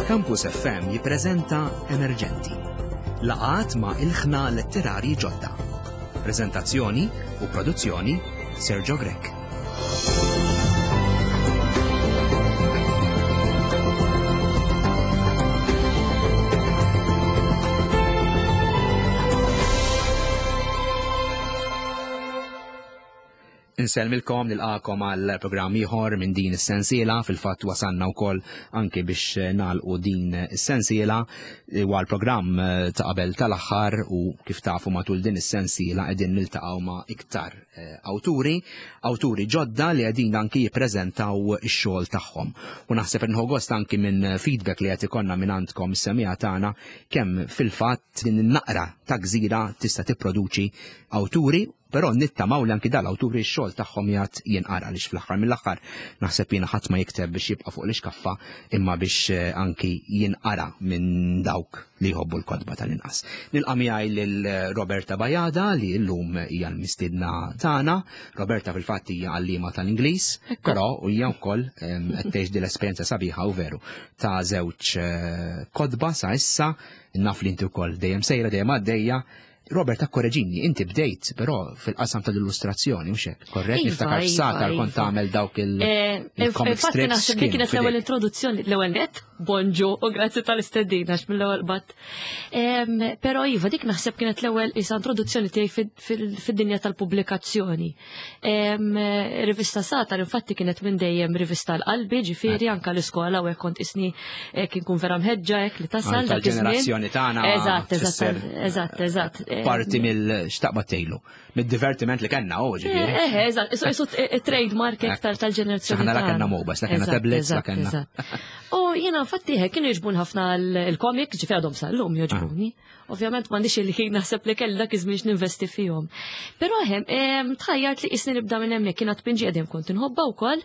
Campus FM jippreżenta Emerġenti. Laqgħat ma' ilħna letterarji ġodda. Preżentazzjoni u produzzjoni Sergio Grech. Insellmilkom nilqakom għal programm ieħor minn din is-sensiela, fil-fatt wasanna wkoll anke biex nagħlqu din is-sensiela huwa l-programm eh, ta' qabel tal-aħħar u kif tafu matul din is-sensiela qegħdin niltaqgħu ma' iktar eh, awturi, awturi ġodda li qegħdin anki jippreżentaw ix-xogħol tagħhom. U naħseb inħu gost anki minn feedback li qed ikollna minn għandkom is-semija tagħna kemm fil-fatt din in-naqra ta' gżira tista' tipproduċi awturi Però nittamaw li anki dal-awturi x-xogħol tagħhom jgħad jinqara għaliex fl-aħħar mill-aħħar naħseb jiena ħadd ma jikteb biex jibqa' fuq l-ixkaffa imma biex eh, anki jinqara minn dawk li jħobbu l-kotba tal-inqas. Nilqa' miegħi lil eh, Roberta Bajada li llum hija l-mistiedna tagħna. Roberta fil-fatt hija għalliema tal-Ingliż, però hija wkoll ehm, qed tgħix din l-esperjenza sabiħa u veru ta' żewġ eh, kotba sa issa naf li inti wkoll dejjem sejra dejjem għaddejja Robert, akkoreġini, inti bdejt, però fil-qasam tal-illustrazzjoni, mhux hekk, korrett? Iva, Niftakar iva, f'Satar kont iva. tagħmel dawk il- Eh, il-comic Infatti strips. naħseb li kienu kienet l-ewwel f'idejk. introduzzjoni, l-ewwel net, bonġu u grazzi tal-istedina għax mill-ewwel bat. Em, Però iva, dik naħseb kienet l-ewwel isa introduzzjoni tiegħi fid- fil- fid-dinja tal-pubblikazzjoni. Rivista Satar infatti kienet minn dejjem rivista l-qalbi, ġifieri anka l-iskola u hekk kont isni eh, kien kun vera mħeġġa hekk li tasal dak iż-żmien. Tal-ġenerazzjoni tagħna. Eżatt, eżatt, eżatt, eżatt. Parti mill-xtaqba tgħilu, mid-divertiment li kellna u ġifieri. Eh, eh, eżatt, isu trademark iktar tal-ġenerazzjoni. Aħna la kellna mobiles, la kellna tablets, la kellna. U jiena infatti kienu jogħġbun ħafna l-comic, ġifieri għadhom sal-lum jogħġbuni. Ah. Ovvjament m'għandix il-ħin naħseb li kelli dak iż-żmien ninvesti fihom. Però hemm tħajjart li qisni nibda minn hemmhekk kien tpinġi qegħdin kont inħobbha wkoll.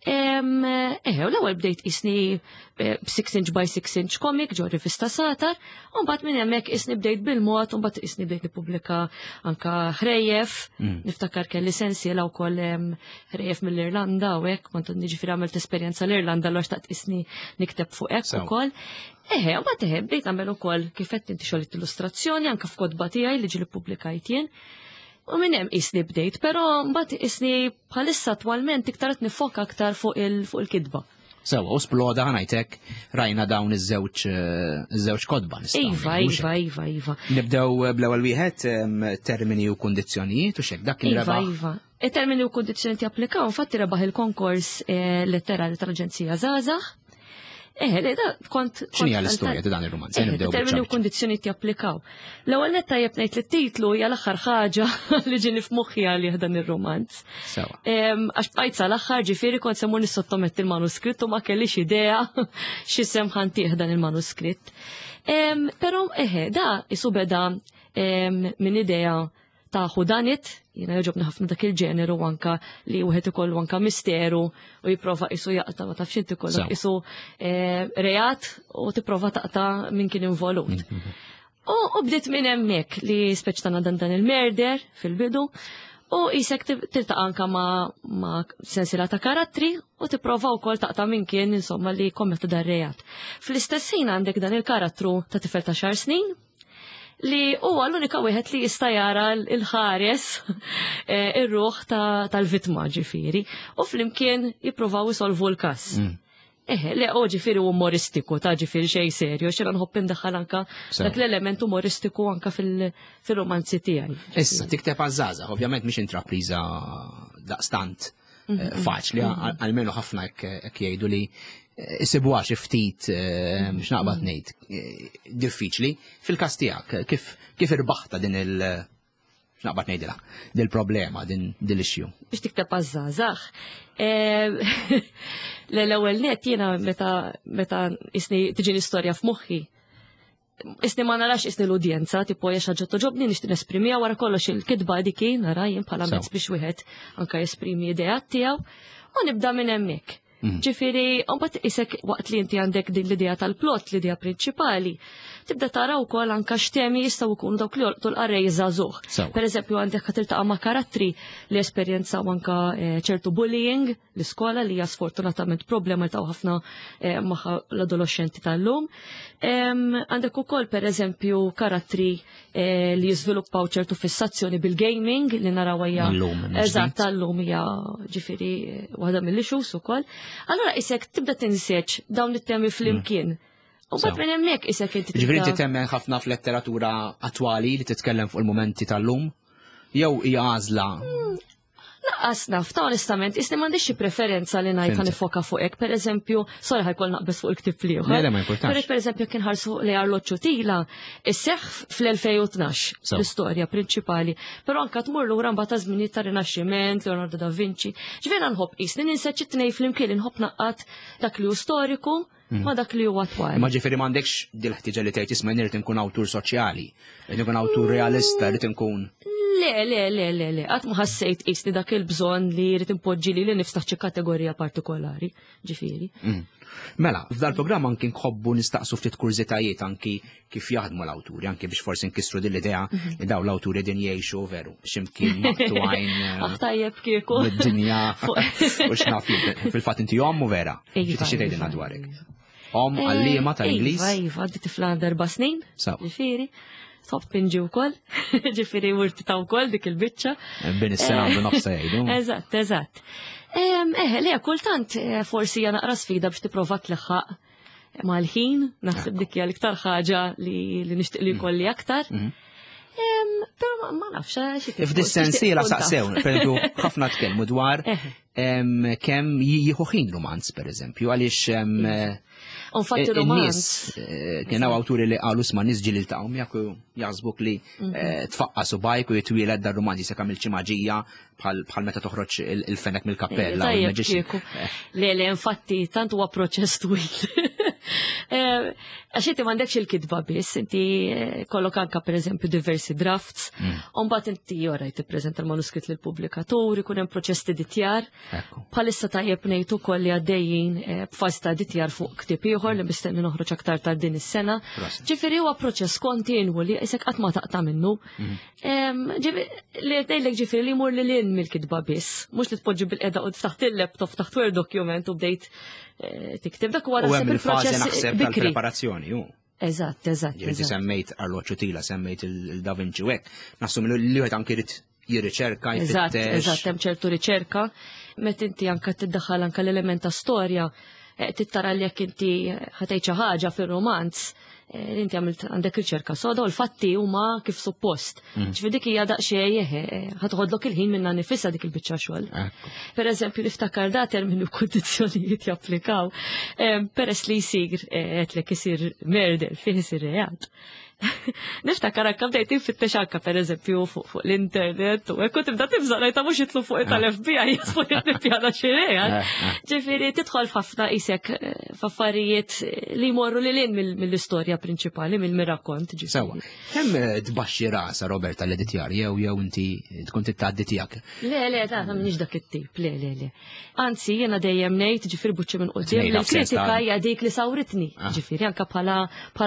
Eħe, u l-ewwel bdejt qisni 6 eh, inch by 6 inch comic ġo rivista Satar, u mbagħad minn hemmhekk qisni bdejt bil-mod, u mbagħad qisni bdejt nippubblika anka ħrejjef, mm. niftakar kelli sensiela wkoll ħrejjef mill-Irlanda u hekk kont niġifieri għamilt esperjenza l-Irlanda l xtaqt qisni nikteb fuq hekk ukoll. Eħe, u mbagħad eħe, bdejt nagħmel ukoll kif qed inti xogħol illustrazzjoni anke f'kotba tiegħi li ġieli ppubblikajt jien. U minn hemm qisni bdejt, però mbagħad qisni bħalissa attwalment iktar qed nifoka aktar fuq il-kitba. Sewa, u sploda ħanajtek rajna dawn iż-żewġ eh, iż-żewġ kotba nistgħu. Iva, iva, iva, iva. Nibdew eh, bl-ewwel wieħed termini u kundizzjonijiet u xek dak kien iva, rebaħ. Iva, Il-termini u kundizzjoni japplikaw, infatti rebaħ il-konkors eh, letterali tal-Aġenzija Żgħażagħ. Eh, le, da kont. X'inhi l-istorja ta' dan ir-rumanz? Eh, termini u kundizzjoni japplikaw. L-ewwel netta tajjeb ngħid li t-titlu hija l-aħħar ħaġa li ġieni f'moħħi għalih dan ir-rumanz. Għax bqajt sal-aħħar ġifieri kont se mmur nissottometti l-manuskritt u ma kellix idea x'isem ħantih dan il-manuskritt. Però eħe, da isu beda minn idea ta' whodunit, jiena jogħġobni ħafna dak il-ġeneru anka li wieħed ikollu anka misteru u jipprova isu jaqta' ma tafx inti kollok isu eh, reat u tipprova taqta' min kien involut. Mm-hmm. U bdiet minn hemmhekk li speċ tagħna dan dan il-merder fil-bidu u jisek tiltaqa' anka ma', ma sensiela ta' karattri u tipprova wkoll taqta' minn kien insomma li kommetta dar reat. Fl-istess ħin għandek dan il-karattru ta' tifel ta' xar snin li huwa l-unika wieħed li jista' jara l-ħares eh, ir-ruħ tal-vittma ġifieri u flimkien jippruvaw isolvu l-każ. Mm. Eħe, le, o ġifieri umoristiku, ta' ġifieri xejn serju, xejn nħobb indaħħal anka dak l-element umoristiku anka fil-romanzi tiegħi. Issa, tikteb għaż-żgħażagħ, ovvjament mhix intrapriża daqstant eh, mm-hmm. faċli, mm-hmm. għalmenu ħafna hekk jgħidu li eh, isibuha xi ftit eh, biex naqbad mm-hmm. ngħid diffiċli. Fil-każ tiegħek, kif kif irbaħta din il- x'naqbad ngħidilha, din problema din l-issue. Biex tikteb għaż-żgħażagħ. L-ewwel net jiena meta meta isni tiġi l-istorja f'moħħi Isni ma narax isni l-udjenza, tipo hija xi ħaġa toġobni nixtieq nesprimiha wara kollox il-kitba dik nara jien bħala mezz biex wieħed anka jesprimi ideat tiegħu u nibda minn hemmhekk. Ġifieri, mbagħad isek waqt li inti għandek din l-idea tal-plot, l-idea prinċipali, tibda tara wkoll anka x'temi jistgħu jkunu dawk li jolqtu l-qarrej żagħżugħ. Per eżempju, għandek ħa tiltaqa' ma' karattri li esperjenzaw anka ċertu bullying l-iskola li hija sfortunatament problema li taw ħafna magħha l-adolescenti tal-lum. Għandek ukoll per eżempju karattri li jiżviluppaw ċertu fissazzjoni bil-gaming li naraw hija eżatt tal-lum hija ġifieri waħda mill-issues ukoll. Allura isek tibda tinseġ dawn it-temi flimkien. U bat minn hemmhekk isek inti. Ġifieri inti temmen ħafna f'letteratura attwali li titkellem fuq il-mumenti tal-lum? Jew hija għażla Laqqas naf, ta' onestament, isni m'għandix xi preferenza li ngħid nifoka fuq hekk. Per eżempju, sorry ħajkol naqbes fuq il-ktieb li Le, le, ma importax. Per eżempju, kien ħarsu li arloġġu tila, isseħħ fl-2012 l-istorja prinċipali. Però anka tmur lura mbagħad ta' żminijiet ta' Rinaxximent, Leonardo da Vinci. Ġifieri nħobb qisni ninseġ it-tnejn flimkien inħobb naqqat dak li hu storiku ma dak li huwa attwali. Ma ġifieri m'għandekx dil-ħtieġa li tgħid isma' irid inkun awtur soċjali, irid inkun awtur realista, irid inkun. Le, le, le, le, le, qatt ma ħassejt qisni dak il-bżonn li jrid impoġġi li niftaħ xi kategorija partikolari, ġifieri. Mela, f'dal-programm anki nħobbu nistaqsu ftit kurżitajiet anki kif jaħdmu l-awturi, anki biex forsi nkissru din l-idea li daw l-awturi din jgħixu veru, x'imkien maqtugħin. Aħ tajjeb kieku. Mid-dinja. U x'naf fil-fatt inti omm u vera. Xi tixtieq tgħidilna dwarek? Omm għalliema tal-Ingliż? Iva, iva, għandi tifla 4 snin. Ġifieri. Tħobb pinġi wkoll, ġifieri wurti ta' wkoll dik il-biċċa. Bin is-sena għandu nofsa jgħidu. Eżatt, eżatt. Eh, le, kultant forsi hija naqra sfida biex tipprova tleħħaq mal-ħin, naħseb dik hija l-iktar ħaġa li nixtieq li jkolli aktar. Però ma nafx xi tip. F'dis-sensiela saqsew, pereżempju, ħafna tkellmu dwar kemm jieħu ħin romanz, pereżempju, għaliex Infatti romanz. Kien hawn awturi li qalu sma' nies ġieli ltaqgħu miegħek u jaħsbuk li tfaqqa' subgħajk u jitwieled dar romanz jisek għamilt xi maġija bħal meta toħroġ il-fenek mill-kappella. Tajjeb kieku. Le, le, infatti, tant huwa proċess twil. Għax inti m'għandekx il-kitba biss, inti kollok anka pereżempju diversi drafts, u mbagħad inti ora tippreżenta l-manuskritt lill-pubblikatur, ikun hemm proċess t'editjar. Bħalissa tajjeb ngħid ukoll li għaddejjin b'fażi ta' editjar fuq ktieb ieħor li mistenni noħroġ aktar tard din is-sena. Ġifieri huwa proċess kontinwu li isek qatt ma taqta' minnu. Li ngħidlek ġifieri li jmur lil hinn mill-kitba biss, mhux li tpoġġi bil-qeda u taħt il-laptop taħt Word document u bdejt tikteb dak huwa naħseb il-proċess tal-preparazzjoni hu. Eżatt, eżatt. Ġifieri semmejt arloġġu tila, semmejt il-Da Vinci u hekk. Nassum li wieħed anki jrid jirriċerka, Eżatt, eżatt, hemm ċertu riċerka, meta inti anke tiddaħħal anke l-element ta' storja, tittara li jekk inti ħatejt xi ħaġa fir-romanz, li inti għamilt għandek riċerka soda u l-fatti huma kif suppost. Ġifieri dik hija daqsxejn ħadħodlok il-ħin minna nifisha dik il-biċċa xogħol. Per eżempju, niftakar da terminu kundizzjonijiet japplikaw, peress li jsir qedlek isir murder fih isir reat. Niftakar anka bdejt infittex anka per eżempju fuq l-internet u hekk u tibda tibża' ngħid mhux jitlu fuq tal-FBI jisfu nippjana xi reat. Ġifieri tidħol f'ħafna qisek f'affarijiet li jmorru lil hinn mill-istorja prinċipali, mill-rakkont. Sewwa. Kemm tbaxxi rasha Roberta l-editjar jew jew inti tkun titgħaddi tiegħek? Le, le, ta' m'iniex dak it-tip, le, le, le. Anzi, jiena dejjem ngħid, ġifieri buċċi minn quddiem, li l-kritika hija dik li sawritni. Ġifieri anke bħala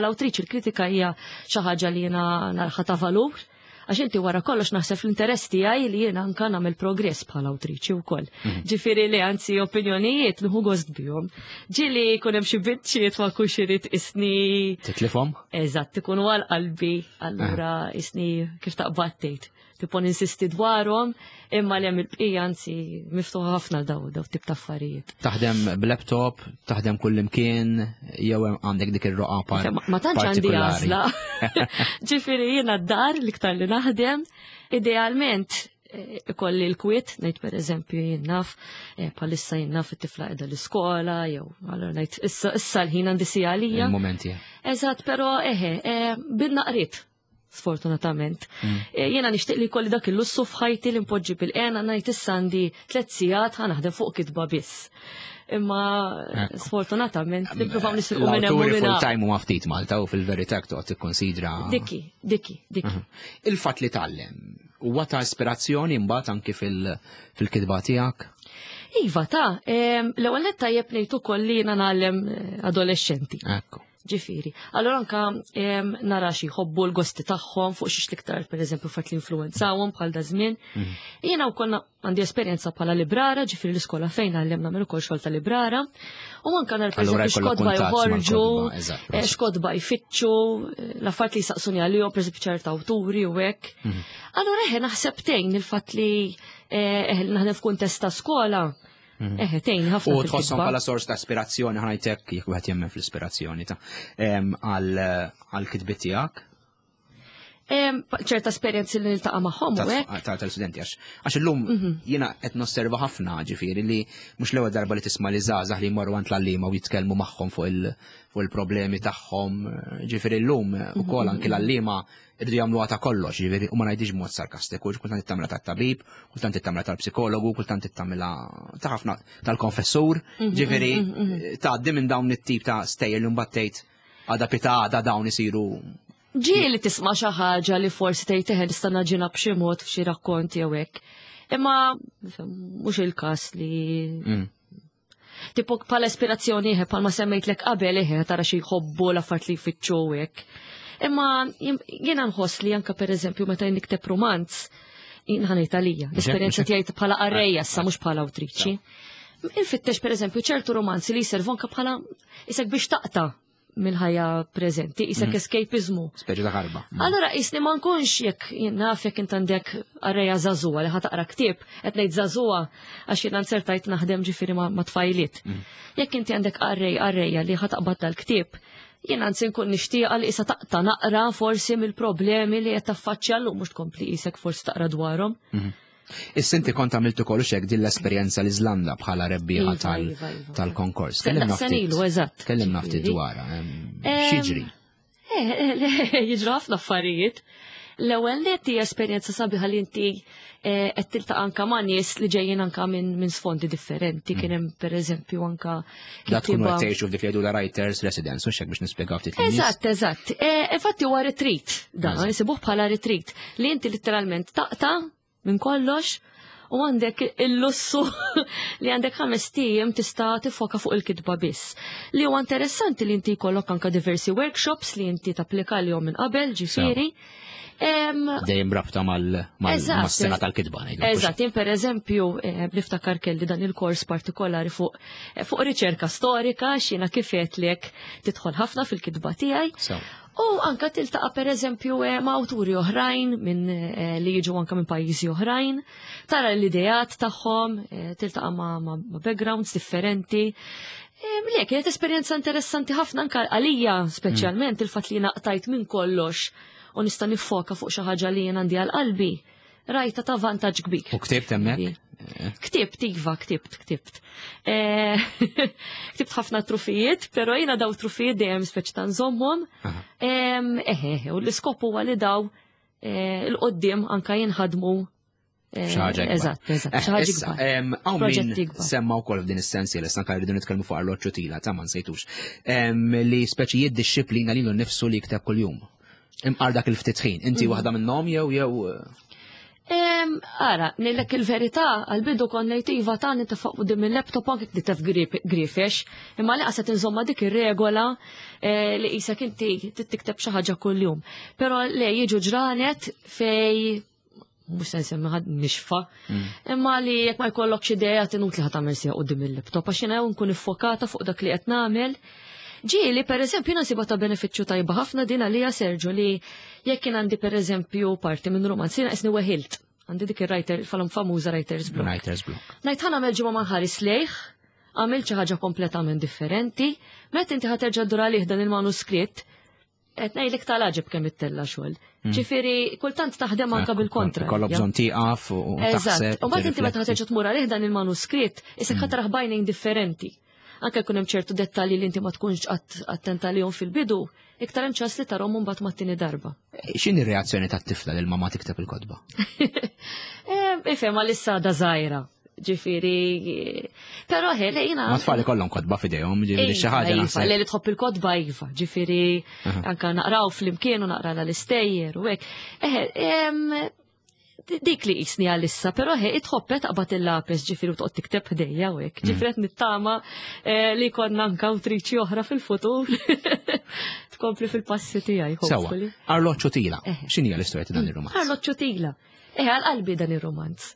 awtriċi l-kritika hija xi ħaġa li jiena narħa ta' valur. Għax inti wara kollox naħseb l-interess tiegħi li jiena anke nagħmel progress bħala awtriċi wkoll. Ġifieri li anzi opinjonijiet nieħu gost bihom. Ġieli jkun hemm xi biċċiet ma jkunx irid isni. Titlifhom? Eżatt, ikunu għal qalbi, allura isni kif taqbad tgħid. Tipo ninsisti dwarhom, imma li hemm il-bqija anzi miftuħa ħafna daw daw tip ta' affarijiet. Taħdem b'laptop, taħdem kullimkien, jew għandek dik ir-roqa par Ma tantx għandi għażla. Ġifieri jiena d-dar l-iktar li naħdem, idealment ikolli l-kwiet, ngħid pereżempju jien naf, bħalissa jien naf it-tifla qiegħda l-iskola, jew allura ngħid issa l-ħin għandi sija għalija. Il-momenti. Eżatt, però eħe, bin-naqriet. sfortunatament. Jiena nixtieq li jkolli dak il-lussu f'ħajti li npoġġi bil-qena ngħid issa għandi tliet sigħat ħa naħdem fuq kitba biss. Imma sfortunatament nippruvaw nisirqu minn hemm L-awturi full-time huma ftit Malta u fil-verità toqgħod tikkonsidra. Dikki, dikki, dikki. Il-fatt li tgħallem huwa ta' ispirazzjoni mbagħad anki fil-kitba tiegħek? Iva, ta' l-ewwel nett tajjeb ngħid ukoll li jiena ngħallem adolexxenti. Ekku. Ġifieri. Allora anka nara xi jħobbu l-gosti tagħhom fuq xiex l-iktar pereżempju fatt li influwenzawhom bħal da żmien. Jiena wkoll għandi esperjenza bħala librara, ġifieri l-iskola fejn għallemna nagħmel ukoll xogħol ta' librara. U anka nara Allura pereżempju jkollok x'kotba kuntatt joħorġu, mal-kotba, eżatt, x'kotba jfittxu, l-affarijiet li jsaqsuni għalihom, pereżempju ċerta awturi u hekk. Allura eħe naħseb tgħin il-fatt li eħe naħdem f'kuntest ta' skola. Eħe, tgħin ħafna U fil-kitba. tħosshom bħala sors ta' ispirazzjoni, ħa ngħidlek jekk wieħed jemmen fl-ispirazzjoni ta' għal kitbiet tiegħek? Ċerta esperjenzi li niltaqa' magħhom u hekk. Tal-studenti għax illum jiena qed nosserva ħafna, ġifieri li mhux l-ewwel darba li tisma' li żgħażagħ li jmorru għand l-għalliema u jitkellmu magħhom fuq il-problemi tagħhom, ġifieri llum ukoll anki l-għalliema irridu jagħmluha ta' kollox, ġifieri u ma ngħidix b'mod sarkastiku, kultant tagħmilha tat-tabib, kultant tagħmilha tal-psikologu, kultant tagħmilha ta' ħafna tal-konfessur, ġifieri tgħaddi minn dawn it-tip ta' stejjer li mbagħad tgħid għada pita għada dawn isiru. Ġieli tisma' xi ħaġa li forsi tgħid eħe nista' naġina b'xi mod f'xi rakkonti jew hekk. Imma mhux il-każ li Tipo bħala ispirazzjoni eħe bħalma semmejtlek qabel eħe tara xi jħobbu l-affarijiet li jfittxu hekk. Imma jiena nħoss li anke pereżempju meta nikteb romanz, jien ħa ngħid għalija, l-esperjenza tiegħi bħala qarrejja issa mhux bħala awtriċi. Infittex pereżempju ċertu romanzi li jservu anke bħala isek biex taqta' mill-ħajja preżenti, isek escapismu. Speċi ta' ħarba. Allora isni ma nkunx jekk jien naf jekk int għandek qarrejja żagħżugħa li ħa taqra ktieb, qed ngħid żagħżugħa għax jiena nsertajt naħdem ġifieri ma' tfajliet. Jekk inti għandek qarrej qarrejja li ħa taqbad dal-ktieb, jien anzi nkun nixtieqa li issa taqta' naqra forsi mill-problemi li qed taffaċċja llum mhux tkompli isek forsi taqra dwarhom. Issa inti kont għamilt ukoll xek din l-esperjenza l-Iżlanda bħala rebbieħa Iva, iva, iva. tal-konkors. Se- Kellimna daqs ftit. ilu, eżatt. Kellimna ftit Ġifieri. dwarha, x'jiġri? Jiġru ħafna affarijiet. L-ewwel nett hija esperjenza sabiħa li inti qed tiltaqa' anka ma' nies li ġejjin anka minn sfondi differenti. Kien hemm pereżempju anka Da tkunu kittieba qed tgħixu f'dik li jgħidu la Writers Residence, u x'hekk biex nispjegaw ftit lin-nies. Eżatt, eżatt. Infatti huwa retreat, dan, nisibuh bħala retreat li inti literalment taqta' minn kollox u għandek il-lussu li għandek 5 ijiem tista' tifoka fuq il-kitba biss. Li huwa interessanti li inti jkollok anka diversi workshops li inti tapplika lihom minn qabel, ġifieri. Dejjem rabta mas-sena tal-kitba, ngħidu. Eżatt, jien per eżempju niftakar kelli dan il-kors partikolari fuq riċerka storika, x'jiena kif għedtlek tidħol ħafna fil-kitba tiegħi. U anka tiltaqa' per eżempju ma' awturi oħrajn minn li jiġu anka minn pajjiżi oħrajn, tara l-ideat tagħhom, tiltaqa' ma' backgrounds differenti. Le, kienet esperjenza interessanti ħafna anka għalija speċjalment il-fatt li naqtajt minn kollox u nista' nifoka fuq xi ħaġa li jien għandi għal qalbi. Rajta ta' vantaġġ kbir. U ktibt hemmhekk? Ktibt, iva, ktibt, ktibt. Ktibt ħafna trufijiet, però jiena daw trufijiet dejjem speċi ta' nżommhom. Eħe, u l-iskop huwa li daw il-qoddim anka jinħadmu. Xi ħaġa ikbar. Eżatt, eżatt, xi ħaġa Issa, ikbar. hawn min Proġetti ikbar. semma wkoll f'din is-sensi li stanka rridu nitkellmu fuq arloġġu tila, ta' ma nsejtux. Li speċi jiddixxiplina lilu nnifsu li jikteb kuljum. Imqar dak il-ftit ħin. Inti waħda minnhom jew Ara, ngħidlek il-verità, għal-bidu kont ngħid iva ta' nitefaq quddiem il-laptop anke nitef grifex, imma li qased inżomma dik ir-regola li qisek inti tikteb xi ħaġa kuljum. Però le jiġu ġranet fej mhux se nsemmi ħadd nixfa, imma li jekk ma jkollokx idea tinut li ħa tagħmel sija quddiem il-laptop għax jiena nkun iffokata fuq dak li qed nagħmel. Ġieli, per eżempju, jiena nsibha ta' benefiċċju tajba ħafna din għalija, Sergio, li jekk jien għandi per eżempju parti minn romanz, jiena qisni weħilt. Għandi dik ir-writer, falhom famuża writer's block. Writer's block. Ngħid ħa nagħmel ġimgħa ma nħares lejh, għamilt xi ħaġa kompletament differenti, meta inti ħa terġa' ddur għalih dan il-manuskritt, qed ngħidlek tal-għaġeb kemm ittella' xogħol. Ġifieri, kultant taħdem anka bil-kontra. Ikollok bżonn tieqaf u Eżatt. taħseb, U mbagħad inti meta tirrifletti. terġa' tmur għalih dan il-manuskritt, isek ħa taraħ bajnejn differenti. Anke jkun hemm ċertu dettalji li inti ma tkunx attenta lihom fil-bidu, iktar hemm ċans li tarhom mbagħad mat-tieni darba. X'inhi r-reazzjoni tat-tifla li l-mamma tikteb il-kotba? Ifhem għalissa da żgħira. Ġifieri, però ħe li jiena. Ma tfal ikollhom kotba f'idejhom, ġifieri xi ħaġa iva, naħseb. Li tħobb il-kotba iva, ġifieri anka naqraw flimkien u naqra l-istejjer u hekk. Eħe, dik li jisni għalissa, pero he, itħobbet taqbad il-lapis ġifiri u toqgħod tikteb ħdejja u hekk. Ġifiri qed nittama eh, li konna anka awtriċi oħra fil-futur. Tkompli fil-passi tiegħi. Sewa. Arloċċu tila. Eh. X'inhi l-istorja ta' dan ir-romanz? Arloċċu tila. Eh, għal-qalbi dan ir-romanz.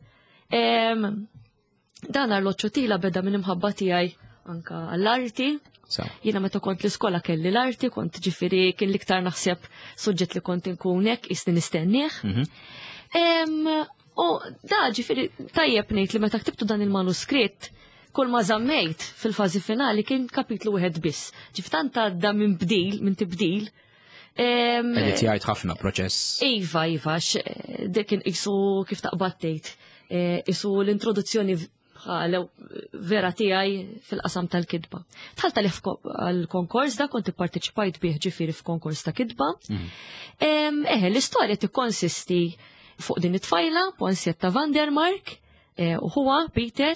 Dan arloċċu tila beda minn imħabba tiegħi anka għall-arti. Jiena meta kont l-iskola kelli l-arti, kont ġifiri kien l-iktar naħseb suġġett li kont inkun hekk isni nistennieh. Mhm. U da ġifiri tajjeb ngħid li meta ktibtu dan il-manuskritt, kull ma żammejt fil-fażi finali kien kapitlu wieħed biss. Ġif tant għadda minn bdil, minn tibdil. Edit jgħid ħafna proċess. Iva, iva, dik kien isu kif taqbad tgħid. Eh, isu l-introduzzjoni bħal vera tiegħi fil-qasam tal-kitba. Tħalt għalih għal-konkors da kont ipparteċipajt bih ġifieri f'konkors ta' kitba. Mhm. Eħe, l-istorja tikkonsisti fuq din it-tfajla, Ponsietta Vandermark, eh, u huwa Peter.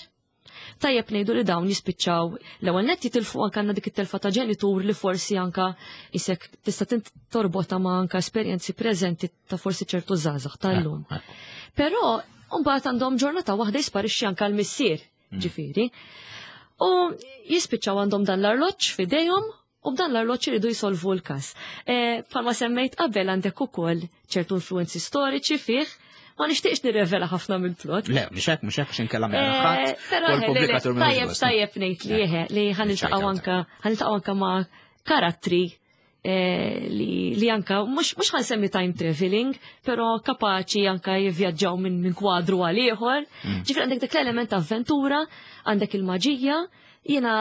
Tajjeb ngħidu li dawn jispiċċaw l-ewwel nett jitilfu anke għandna dik it-telfa ta' ġenitur li forsi anka isek tista' torbota ma' anka esperjenzi preżenti ta' forsi ċertu żgħażagħ tal-lum. Eh, eh. Però mbagħad għandhom ġurnata waħda jisparixxi anka l-missier, mm. ġifieri. U jispiċċaw għandhom dan l-arloġġ f'idejhom u b'dan l-arloġġ iridu jsolvu l-każ. Eh, bħalma semmejt qabel għandek ukoll ċertu influenzi storiċi fih, ma nixtieqx nirrevela ħafna mill-plot. Le, mhux hekk, mhux hekk x'inkella ma eh, ħadd. Però tajjeb tajjeb ngħid li eħe li ħaniltaqgħu anka ħaniltaqgħu anka ma' karattri Eh, li, li anka, mux, mux ħansemmi time traveling, pero kapaċi anka jivvjaġġaw minn min kwadru għal ieħor. Mm. Ġifri għandek dak l-element ta' avventura, għandek il-maġija, jiena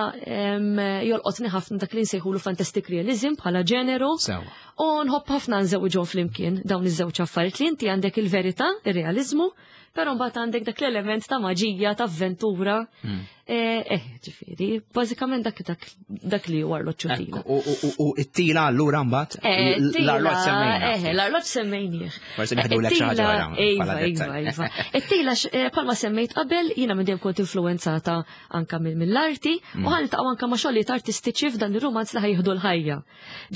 jolqotni ħafna dak li nsejħulu fantastic realism bħala ġeneru. U nħobb ħafna nżewġhom flimkien dawn iż-żewġ affarijiet li inti għandek il-verità, ir-realizmu, pero mbagħad għandek dak l-element ta' maġija, ta' avventura. Mm. Eh, eh, ġifieri, bażikament dak dak dak li huwa arloġġ tila. U it-tila allura mbagħad eh, l-arloġġ semmejna. Eh, l-arloġġ semmejnieh. Forsi neħdu lek xi ħaġa wara. Iva, iva, iva. It-tila bħalma semmejt qabel jiena minn dejjem kont influenzata anka mill-arti u mm. ħaniltaqgħu anka ma' xogħlijiet artistiċi f'dan ir-rumanz li ħajħdu l-ħajja.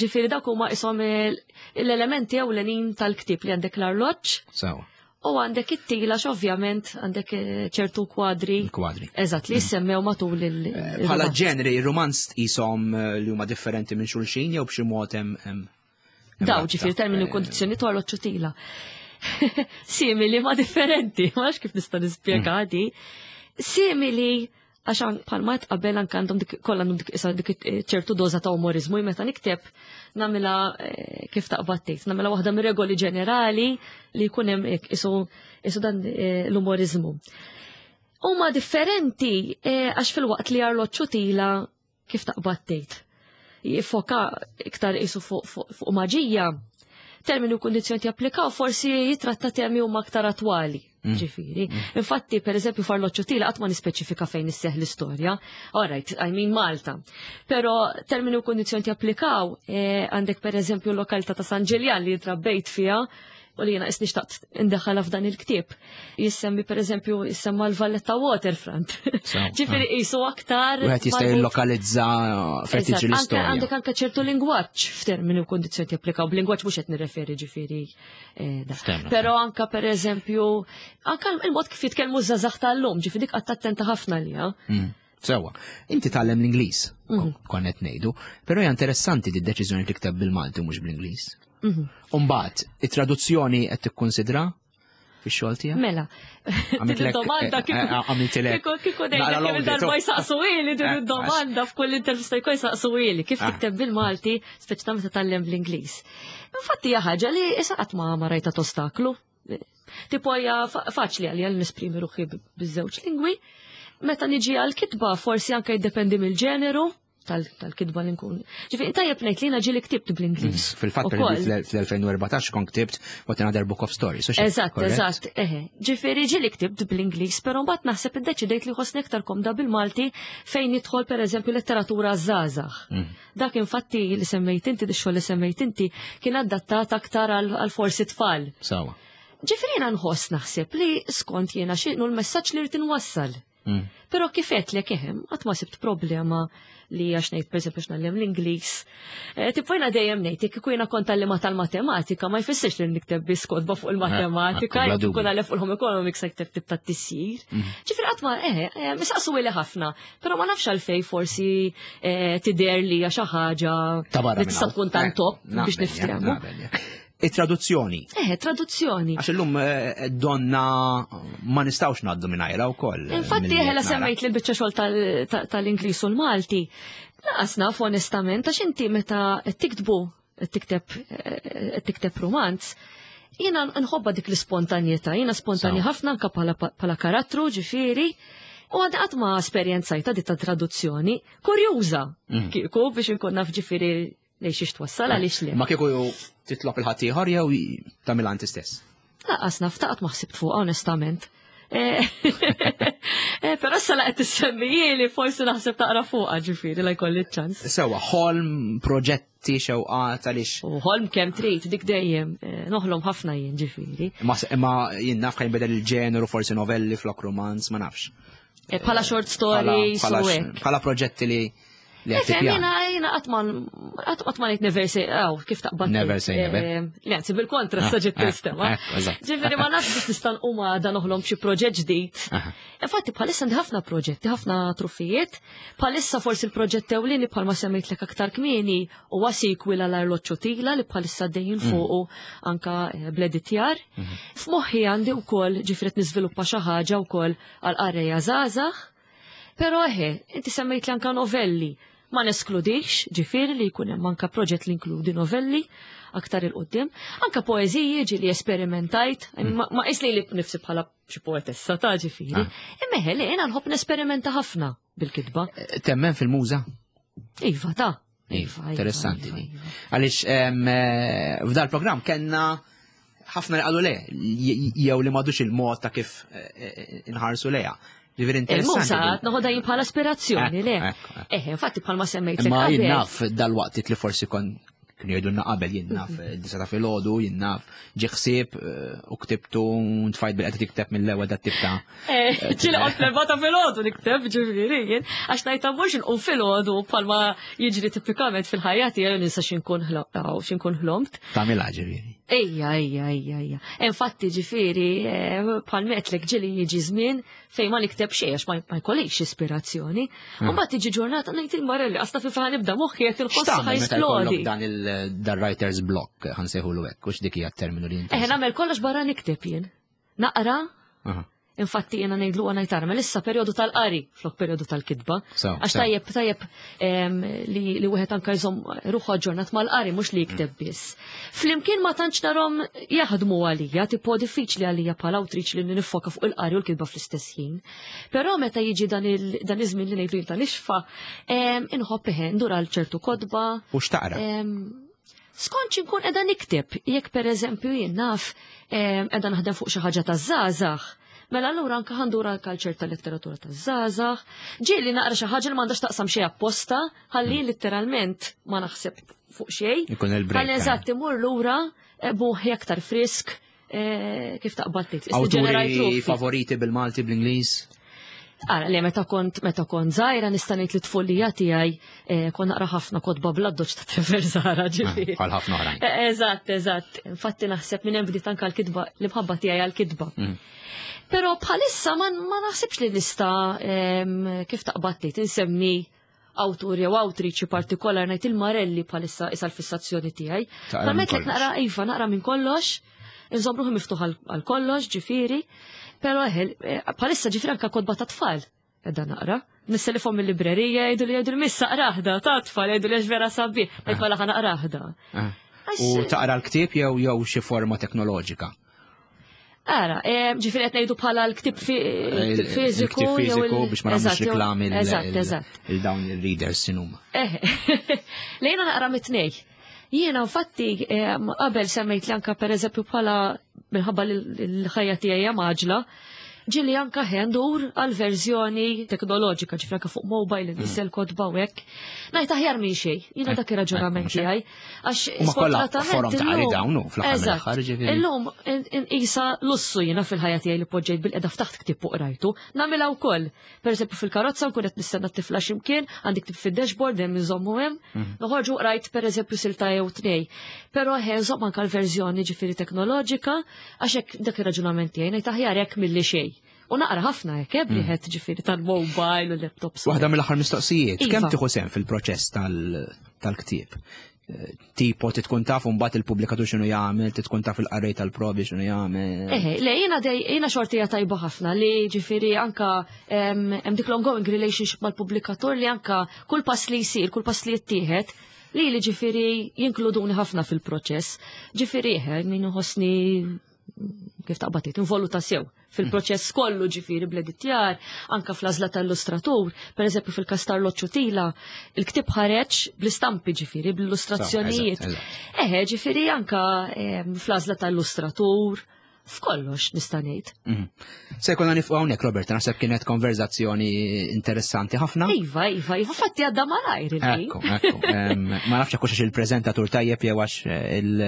Ġifieri dawk huma ishom l-elementi ewlenin tal-ktieb li għandek l-arloġġ. Sewa. U għandek it-tila ovvjament għandek eh, ċertu kwadri. Kwadri. Eżatt, li jissemmew matul il- eh, Bħala ġenri, il-romanz tqishom eh, li huma differenti minn xulxin jew b'xi mod hemm. Daw, ġifieri termini u kondizzjoni tu għal tila. Simili ma differenti, ma kif nista' nispjega mm. di. Simili Għax bħalma qed qabel anke għandhom dik kollha għandhom dik issa dik eh, ċertu doża ta' umorizmu meta nikteb nagħmilha eh, kif taqbad tgħid, nagħmilha waħda mir-regoli ġenerali li jkun hemm hekk isu isu dan eh, l-umorizmu. Huma differenti għax fil-waqt li arloġġu tila kif taqbad tgħid. Jiffoka iktar isu fuq fu, fu maġija, termini u kundizzjoni japplikaw forsi jitratta temi huma aktar attwali. Mm. Ġifiri. Mm. Infatti, per eżempju, farloċċu tila qatt ma nispeċifika fejn isseħ l-istorja. All right, I mean Malta. Pero termini u kundizzjoni japplikaw eh, għandek per eżempju l-lokalità ta' San Ġiljan li trabbejt fiha u li jena isni xtaqt indaħħalha f'dan il-ktieb. Jissemmi per eżempju jissemma l-Valletta Waterfront. Ġifieri qisu aktar. Wieħed jista' jillokalizza fejn tiġi l-istorja. Għandek anke ċertu lingwaġġ f'termini u kondizzjoni japplikaw. B'lingwaġġ mhux qed nirreferi ġifieri. Eh, Però anka per eżempju, anka il-mod kif jitkellmu żgħażagħ tal-lum, ġifieri dik qatt attenta ħafna liha. Mm. Sewa, inti tgħallem l-Ingliż, mm. konnet ngħidu, però hija interessanti di deċiżjoni tikteb bil-Malti u mhux bl-Ingliż. Mhm. Umbagħad, it-traduzzjoni qed tikkunsidra fix-xogħol tiegħek? Mela. Għamiltlek domanda eh, eh, għamiltilek. Kieku kieku dejjem kemm il-darba jsaqsu ili din eh, id-domanda f'kull intervista jkun jsaqsu ili kif ah. tikteb bil-Malti speċi ta' meta tgħallem bl-Ingliż. Infatti hija ħaġa li issa qatt ma rajta tostaklu. Tipo hija faċli għalija li nesprimi ruħi biż-żewġ lingwi. Meta niġi għal kitba forsi anke jiddependi mill-ġeneru. tal-kitba li nkun. Ġifieri tajjeb ngħid li jiena ġieli ktibt bl-Ingliż. Mm, fil-fatt fl-2014 kon ktibt What Another Book of Stories. Eżatt, eżatt, eħe. Ġifieri ġieli ktibt bl-Ingliż, però mbagħad naħseb iddeċidejt li ħossni aktar komda bil-Malti fejn jidħol pereżempju letteratura żgħażagħ. Mm. Dak infatti li semmejt inti, xogħol li semmejt inti, kien adattat aktar għal forsi tfal. Sawa. Ġifieri jiena nħoss naħseb li skont jiena x'inhu l-messaġġ li rrid inwassal. Mm. Però kif għedtlek ehem, qatt ma sibt problema li għax ngħid pereżempju x'nallem l-Ingliż. Eh, tipo jiena dejjem ngħid jekk kieku jiena kont għallima tal-matematika ma jfissirx li nikteb biss kotba fuq il-matematika, eh, jekk ikun għallem fuq il-home economics nikteb tip ta' tisjir. Mm. Ġifieri qatt ma eh, eh misaqsu li ħafna, però ma nafx għalfej forsi eh, tidher li hija xi ħaġa li tista' tkun tant top biex niftehmu. It-traduzzjoni. Eh, traduzzjoni. Għax illum eh, donna ma nistawx naddu minn wkoll. Eh, Infatti eħela semmejt li l-biċċa xogħol tal-Ingliż u l-Malti. Laqas naf onestament għax inti meta tiktbu tikteb eh, tikteb romanz, jiena nħobba dik l-ispontanjetà, jiena spontanja ħafna anka bħala karattru ġifieri. U għad qatt ma esperjenzajta dit ta' traduzzjoni, kurjuża mm. kieku biex inkun naf ġifieri Lej xiex twassal għaliex le. Ma kieku titlob il-ħaddieħor jew tagħmilha inti stess? Laqas naf taqgħod ma ħsibt fuqha onestament. Eh, eh, però sa laqgħet tissemmijieli forsi naħseb taqra fuqha ġifieri la jkolli ċans. Sewa, ħolm, proġetti, xewqat għaliex. U ħolm kemm trid dik dejjem eh, noħlom ħafna jien ġifieri. Ma jien naf ħajn bedel il-ġeneru forsi novelli flok romanz, ma nafx. Bħala short stories Bħala proġetti li Li qed Ifhem, jiena jiena qatt ma qatt ma ngħid never say aw kif taqbad. Never say never. Eh, le, anzi bil-kontra ah, sa ġiet eh, tistema. Eh, Ġifieri ma nafx biex nista' nqum għada noħlom xi proġett ġdid. Infatti bħalissa għandi ħafna proġetti, ħafna truffijiet. Bħalissa forsi l-proġett ewlieni bħalma semmejtlek aktar kmieni huwa sequel għal arloġġu tila li bħalissa dejjin mm. fuqu anka bl-editjar. Mhm. F'moħħi għandi wkoll ġifieri niżviluppa xi ħaġa wkoll għal qarrejja żgħażagħ Però eħe, inti semmejt li anka novelli. Ma neskludix, ġifieri li jkun hemm anka proġett li inkludi novelli aktar il-qoddim. Anka poeżiji ġieli esperimentajt, mm. ma qis li li nifsi bħala xi poetessa ta' ġifieri. Ah. Imma eħe li jiena nħobb nesperimenta ħafna bil-kitba. Eh, temmen fil-muża? Iva, ta' Iva, iva, interessanti iva, iva. Għaliex eh, f'dal programm kellna ħafna li qalu le, jew li madux il-mod ta' kif eh, eh, inħarsu leja. Ġifieri interessanti. Il-musa noħodha jien bħala aspirazzjoni, le. Eh, infatti bħalma semmejt. Ma jien naf dal-waqt li forsi kon kienu jgħidulna qabel jien naf mhm. disa ta' filgħodu, jien naf ġi ħsieb eh, u ktibtu ntfajt bil-qed tikteb mill-ewwel dat tip ta' eh, eh, ġieli qod l-erba' ta' filgħodu nikteb ġifieri jien għax ngħid mhux inqum filgħodu bħalma jiġri tipikament fil-ħajja tiegħi ninsa x'inkun x'inkun ħlomt. Tagħmilha ġifieri. Ejja, ejja, ejja, ejja. Infatti ġifieri bħal metlek ġieli jiġi żmien fejn ma nikteb xejn għax ma jkollix ispirazzjoni. Hmm. U mbagħad tiġi ġurnata ngħid il-marelli qasta fi fejn nibda moħħi qed il-ħoss ħajsplodi. Dan il-writer's block ħansejħulu hekk, hux dik hija terminu li inti. Eh nagħmel kollox barra nikteb jien. Naqra, Infatti jena ngħidlu għana jtarmel issa perjodu tal-qari flok perjodu tal-kitba. Għax tajjeb tajjeb li li wieħed anka jżomm ruħu aġġornat mal-qari mhux li jikteb mm. biss. Flimkien ma tantx narhom jaħdmu għalija, tipo diffiċli għalija bħala awtriċi li nifoka fuq il-qari u l-kitba fl-istess ħin. Però meta jiġi dan iż-żmien li ngħidlu ta' nixfa, inħobb eħe ndur għal ċertu kotba. U x'taqra? Skont x'inkun qiegħda nikteb, jekk pereżempju jien naf qiegħda naħdem fuq xi ħaġa taż-żgħażagħ, mela allura anke ħandur għal kalċer ta' letteratura taż-żgħażagħ. Ġieli naqra xi ħaġa li m'għandax taqsam xejn apposta, ħalli mm. litteralment ma naħseb fuq xejn. Ikun il-break. Ħalli eżatt imur lura eh, buħi aktar frisk eh, kif taqbad tgħid. Awturi favoriti bil-Malti bl-Ingliż? Ara, li meta kont meta kont żgħira nista' ngħid li tfulija tiegħi eh, kont naqra ħafna kotba bl-addoċ ta' Trevor Zara ah, ġifieri. Bħal ħafna oħrajn. Eżatt, eżatt. Infatti naħseb minn hemm bdiet anke l-kitba l-imħabba tiegħi għall-kitba. Mm. Però bħalissa ma, ma naħsibx li nista' kif taqbad tgħid insemmi awtur jew awtriċi partikolar ngħid il-Marelli bħalissa isa l-fissazzjoni tiegħi. Permettlek naqra iva naqra minn kollox, inżomm ruħi miftuħ għal kollox, ġifieri, però eħel eh, bħalissa ġifieri anke kotba ta' tfal edha naqra. Nisselifhom mill-librerija jgħidu li jgħidu li missa qraħda ta' tfal jgħidu li għax vera sabi, ngħid mela ħa naqraħda. Ah. U taqra l-ktieb jew jew xi forma teknoloġika? Ara, eh, ġifieri qed ngħidu bħala l-ktib fiżiku. Il-ktib fiżiku biex ma nagħmlux reklami il-dawn il-readers sinuma. Eh, lejna naqra mit-tnej. Jiena infatti eh, qabel semmejt li anka pereżempju bħala minħabba l-ħajja tiegħi maġla, ġili anka ħendur għal verżjoni teknoloġika, ġifra anka fuq mobile, nisel kotba u hekk. Ngħid aħjar minn xejn, jiena dak ir-raġunament tiegħi. Għax sfortunatament. Forum ta' qari dawn fl-aħħar mill-aħħar ġifieri. Illum isa lussu jiena fil-ħajja tiegħi li poġġejt bil-qeda ftaħt ktieb u qrajtu. Nagħmilha wkoll. Pereżempju fil-karozza nkun qed nistenna t-tifla x'imkien, għandi ktieb fid-dashboard hemm inżommu hemm. Mhm. Noħorġu qrajt pereżempju silta jew tnej. Però ħe nżomm anke l-verżjoni ġifieri teknoloġika għax hekk dak ir-raġunament tiegħi ngħid aħjar hekk milli xejn. U naqra ħafna hekk, eh, bliħet mm. ġifieri tal-mobile u laptops. Waħda mill-aħħar mistoqsijiet, iva. kemm tieħu sehem fil-proċess tal-ktieb? Eh, tipo tkun taf mbagħad il-pubblikatur x'inhu jagħmel, tkun taf il-qarrej tal-provi x'inhu jagħmel. Eħe, le jiena dej jiena xortija tajba ħafna li ġifieri anka hemm dik l-ongoing relationship mal-pubblikatur li anka kull pass li jsir, kull pass li jittieħed, li li ġifieri jinkluduni ħafna fil-proċess. Ġifieri eħe, min uħossni kif taqbad tgħid, involuta sew fil-proċess kollu ġifieri bl-editjar, anka fl-għażla tal-illustratur, pereżempju fil-każ tal-Loċċu Tila, il-ktieb ħareġ bl-istampi ġifieri, bl-illustrazzjonijiet. Eħe, ġifieri anka ehm, fl-għażla tal-illustratur, f'kollox nista' ngħid. Mhm. Se jkollna nifqu hawnhekk Robert, naħseb kienet konverzazzjoni interessanti ħafna. Iva, iva, iva, fatti għadda malajr. Ekku, ekku. Ma nafx hekk hux il-preżentatur tajjeb jew għax eh, il.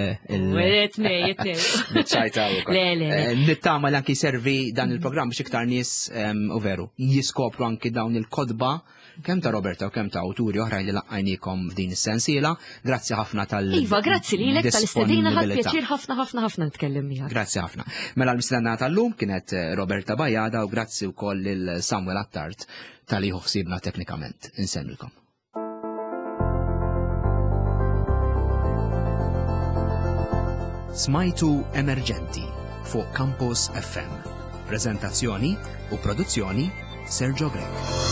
Tnej, tnej. Ċajta Le, le. Eh, nittama li anki servi dan il-programm biex iktar nies u veru jiskopru anki dawn il-kodba kemm ta' Roberta u kemm ta' awturi oħrajn li laqqajniekom f'din is-sensiela. Grazzi ħafna tal Iva, grazzi lilek tal-istedina ħadd pjaċir ħafna ħafna ħafna nitkellem miegħek. Grazzi ħafna. Mela l-mistiedna tal-lum kienet eh, Roberta Bajada u grazzi wkoll lil Samuel Attard tal-li ħsiebna teknikament. Insemmilkom. Smajtu Emerġenti fuq Campus FM. Prezentazzjoni u produzzjoni Sergio Grech.